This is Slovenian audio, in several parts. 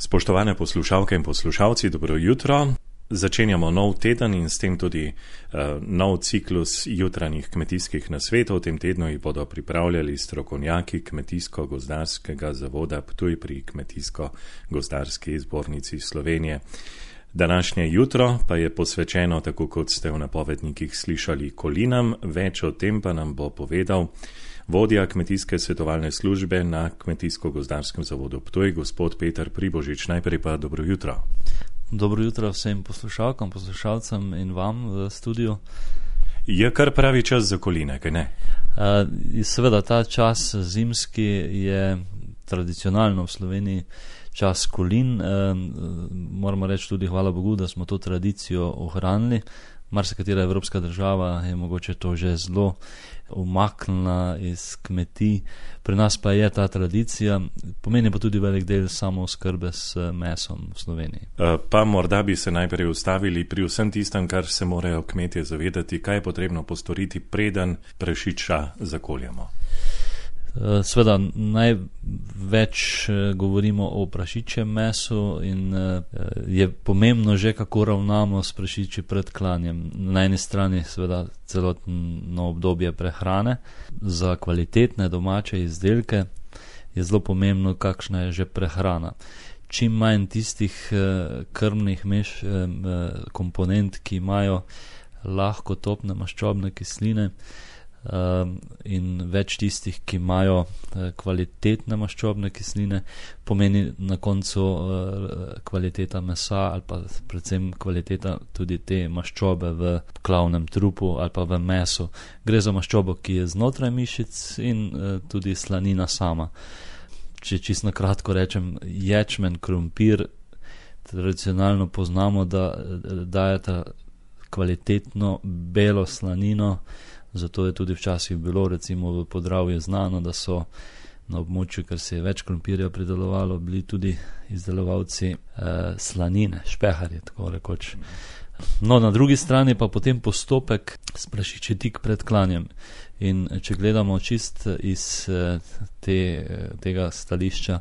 Spoštovane poslušalke in poslušalci, dobro jutro. Začenjamo nov teden in s tem tudi nov ciklus jutranjih kmetijskih nasvetov. V tem tednu jih bodo pripravljali strokovnjaki Kmetijsko-gozdarskega zavoda Ptuj pri Kmetijsko-gozdarski zbornici Slovenije. Današnje jutro pa je posvečeno, tako kot ste v napovednikih slišali, kolinam. Več o tem pa nam bo povedal vodja kmetijske svetovalne službe na Kmetijsko-gozdarskem zavodu Ptuj, gospod Peter Pribožič. Najprej pa dobro jutro. Dobro jutro vsem poslušalkam, poslušalcem in vam v studiu. Je kar pravi čas za koline, kaj ne? Seveda, ta čas zimski je tradicionalno v Sloveniji čas kolin. Moramo reči tudi hvala Bogu, da smo to tradicijo ohranili. Marsikatera evropska država je mogoče to že zelo umaknila iz kmetij. Pri nas pa je ta tradicija, pomeni pa tudi velik del samooskrbe s mesom v Sloveniji. Pa morda bi se najprej ustavili pri vsem tistem, kar se morajo kmetje zavedati, kaj je potrebno postoriti, preden prašiča zakoljemo. Sveda največ govorimo o prašičjem mesu in je pomembno že, kako ravnamo s prašiči pred klanjem. Na eni strani seveda celotno obdobje prehrane. Za kvalitetne domače izdelke je zelo pomembno, kakšna je že prehrana. Čim manj tistih krmnih komponent, ki imajo lahko topne maščobne kisline, in več tistih, ki imajo kvalitetne maščobne kisline, pomeni na koncu kvaliteta mesa ali pa predvsem kvaliteta tudi te maščobe v klavnem trupu ali pa v mesu. Gre za maščobo, ki je znotraj mišic in tudi slanina sama. Če čisto na kratko rečem, ječmen, krompir tradicionalno poznamo, da dajeta kvalitetno belo slanino. Zato je tudi včasih bilo recimo v Podravju znano, da so na območju, ker se je več krompirja pridelovalo, bili tudi izdelovalci slanine, špeharji, tako rekoč. No, na drugi strani pa potem postopek s prašiči tik pred klanjem. In če gledamo čist iz tega stališča,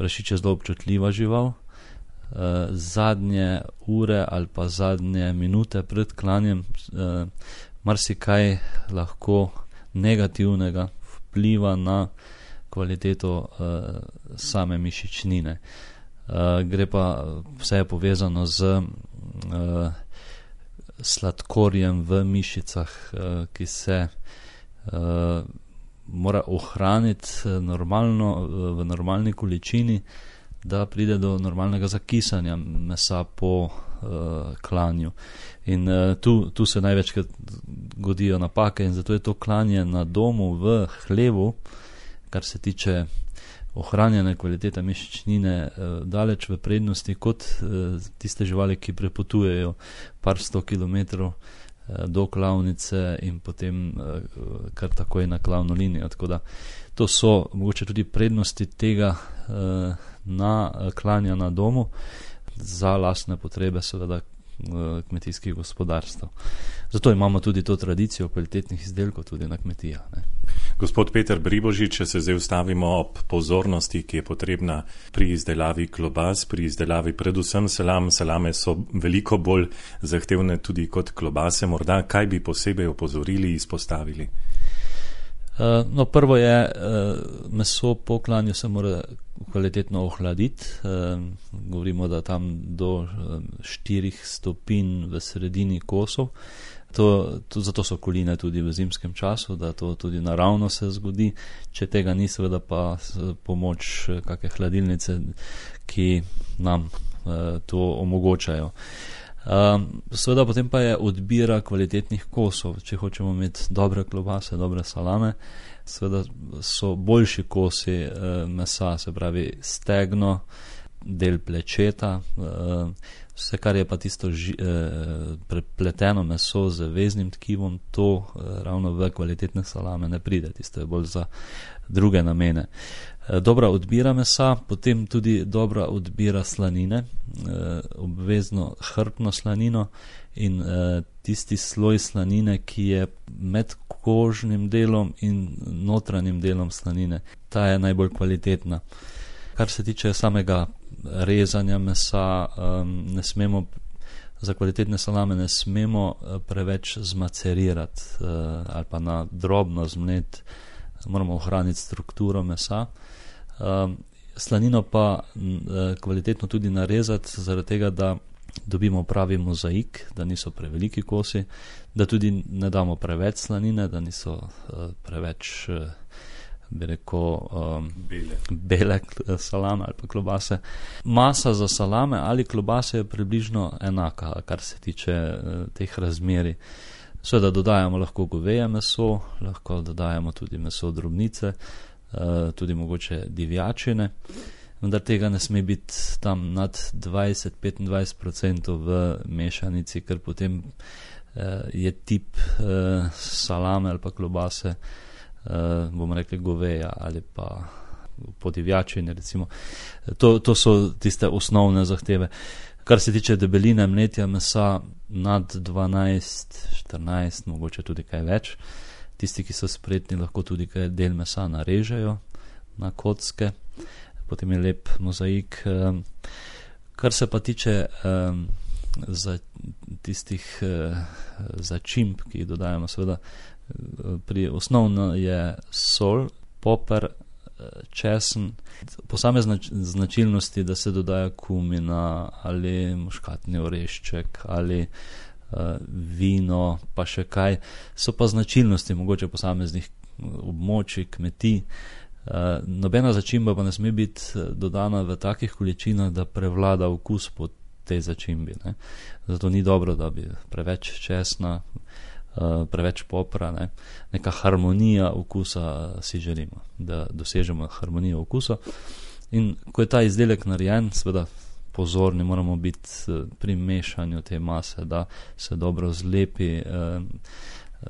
prašič je zelo občutljiva žival. Zadnje ure ali pa zadnje minute pred klanjem marsikaj lahko negativnega vpliva na kvaliteto same mišičnine. Gre pa vse povezano z sladkorjem v mišicah, ki se mora ohraniti normalno, v normalni količini, da pride do normalnega zakisanja mesa po klanju. In tu se največkrat godijo napake in zato je to klanje na domu v hlevu, kar se tiče ohranjene kvalitete mišičnine, daleč v prednosti kot tiste živali, ki prepotujejo par 100 kilometrov do klavnice in potem kar takoj na klavno linijo. Tako da to so mogoče tudi prednosti tega klanja na domu za lastne potrebe seveda kmetijskih gospodarstv. Zato imamo tudi to tradicijo kvalitetnih izdelkov tudi na kmetijah. Gospod Peter Pribožič, če se zdaj ustavimo ob pozornosti, ki je potrebna pri izdelavi klobas, pri izdelavi predvsem salam. Salame so veliko bolj zahtevne tudi kot klobase. Morda kaj bi posebej opozorili, izpostavili? No, prvo je, meso po klanju se mora kvalitetno ohladiti. Govorimo, da tam do 4 stopinj v sredini kosov. Zato so koline tudi v zimskem času, da to tudi naravno se zgodi. Če tega ni, seveda pa pomoč kakšne hladilnice, ki nam to omogočajo. Seveda potem pa je odbira kvalitetnih kosov. Če hočemo imeti dobre klobase, dobre salame, seveda so boljši kosi mesa, se pravi stegno, del plečeta, vse kar je pa tisto prepleteno meso z veznim tkivom, to ravno v kvalitetne salame ne pride, tisto je bolj za druge namene. Dobra odbira mesa, potem tudi dobra odbira slanine, obvezno hrbtno slanino in tisti sloj slanine, ki je med kožnim delom in notranjim delom slanine. Ta je najbolj kvalitetna. Kar se tiče samega rezanja mesa, za kvalitetne salame ne smemo preveč zmacerirati ali pa na drobno zmleti, moramo ohraniti strukturo mesa. Slanino pa kvalitetno tudi narezati, zaradi tega, da dobimo pravi mozaik, da niso preveliki kosi, da tudi ne damo preveč slanine, da niso preveč, bi rekel, bele salame ali pa klobase. Masa za salame ali klobase je približno enaka, kar se tiče teh razmeri. Seveda dodajamo lahko goveje meso, lahko dodajamo tudi meso drobnice, tudi mogoče divjačine, vendar tega ne sme biti tam nad 20-25% v mešanici, ker potem je tip salame ali pa klobase, bomo rekli goveja ali pa podivjačine recimo. To so tiste osnovne zahteve. Kar se tiče debeline mletja mesa nad 12-14, mogoče tudi kaj več. Tisti, ki so spretni, lahko tudi kaj del mesa narežejo na kocke, potem je lep mozaik. Kar se pa tiče za tistih začimb, ki jih dodajamo, seveda osnovno je sol, poper, česen, posamezne značilnosti, da se dodaja kumina ali muškatni orešček ali vino, pa še kaj, so pa značilnosti mogoče posameznih območij, kmetij. Nobena začimba pa ne sme biti dodana v takih količinah, da prevlada okus po tej začimbi, ne. Zato ni dobro, da bi preveč česna, preveč popra, ne. Neka harmonija okusa si želimo, da dosežemo harmonijo okusa. In ko je ta izdelek narejen, seveda pozorni moramo biti pri mešanju te mase, da se dobro zlepi,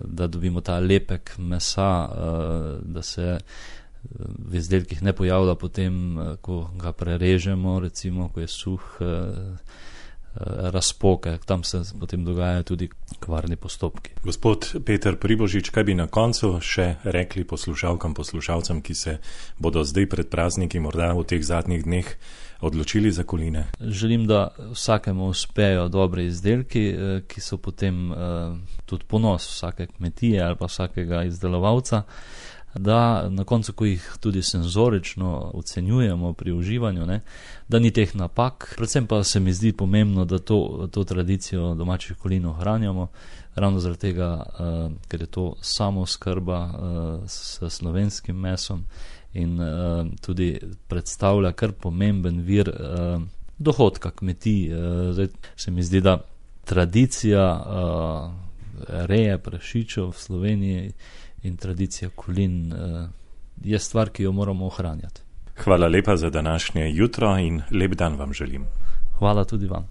da dobimo ta lepek mesa, da se v izdelkih ne pojavlja potem, ko ga prerežemo, recimo, ko je suh, razpoke, tam se potem dogajajo tudi kvarni postopki. Gospod Peter Pribožič, kaj bi na koncu še rekli poslušalkam, poslušalcem, ki se bodo zdaj pred prazniki morda v teh zadnjih dneh odločili za koline? Želim, da vsakemu uspejo dobre izdelki, ki so potem tudi ponos vsake kmetije ali pa vsakega izdelovalca, da na koncu, ko jih tudi senzorično ocenjujemo pri uživanju, ne, da ni teh napak. Predvsem pa se mi zdi pomembno, da to tradicijo domačih kolin ohranjamo, ravno zaradi tega, ker je to samooskrba s slovenskim mesom in tudi predstavlja kar pomemben vir dohodka kmetij. Zdaj se mi zdi, da tradicija reje prašičev v Sloveniji in tradicija kolin je stvar, ki jo moramo ohranjati. Hvala lepa za današnje jutro in lep dan vam želim. Hvala tudi vam.